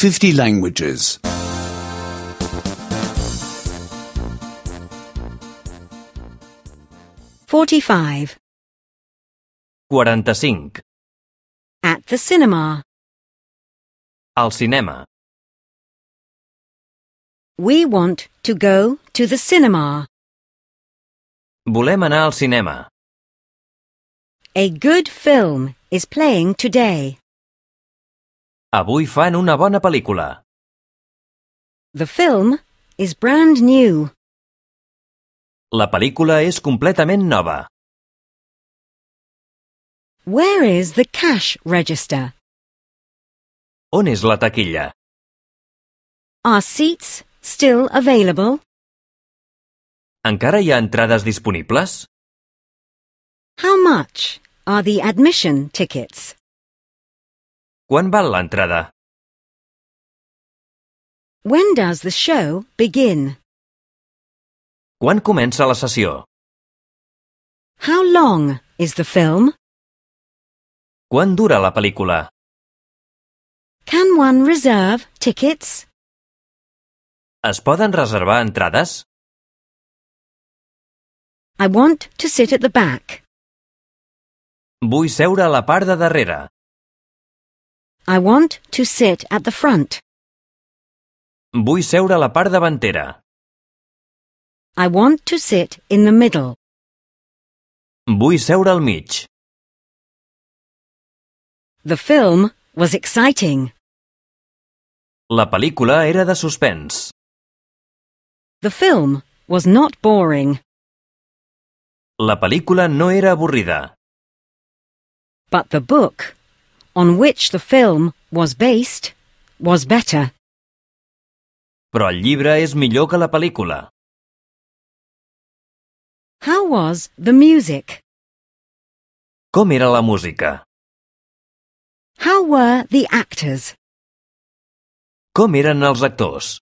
50 languages. 45. 45. At the cinema. Al cinema. We want to go to the cinema. Volem anar al cinema. A good film is playing today. Avui fan una bona pel·lícula. The film is brand new. La pel·lícula és completament nova. Where is the cash register? On és la taquilla? Are seats still available? Encara hi ha entrades disponibles? How much are the admission tickets? Quan val l'entrada? When does the show begin? Quan comença la sessió? How long is the film? Quan dura la pel·lícula? Can one reserve tickets? Es poden reservar entrades? I want to sit at the back. Vull seure a la part de darrere. I want to sit at the front. Vull seure a la part davantera. I want to sit in the middle. Vull seure al mig. The film was exciting. La pel·lícula era de suspens. The film was not boring. La pel·lícula no era avorrida. But the book, on which the film was based, was better. Però el llibre és millor que la pel·lícula. How was the music? Com era la música? How were the actors? Com eren els actors?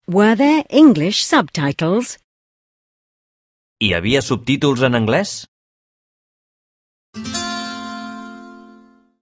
Were there English subtitles? Hi havia subtítols en anglès?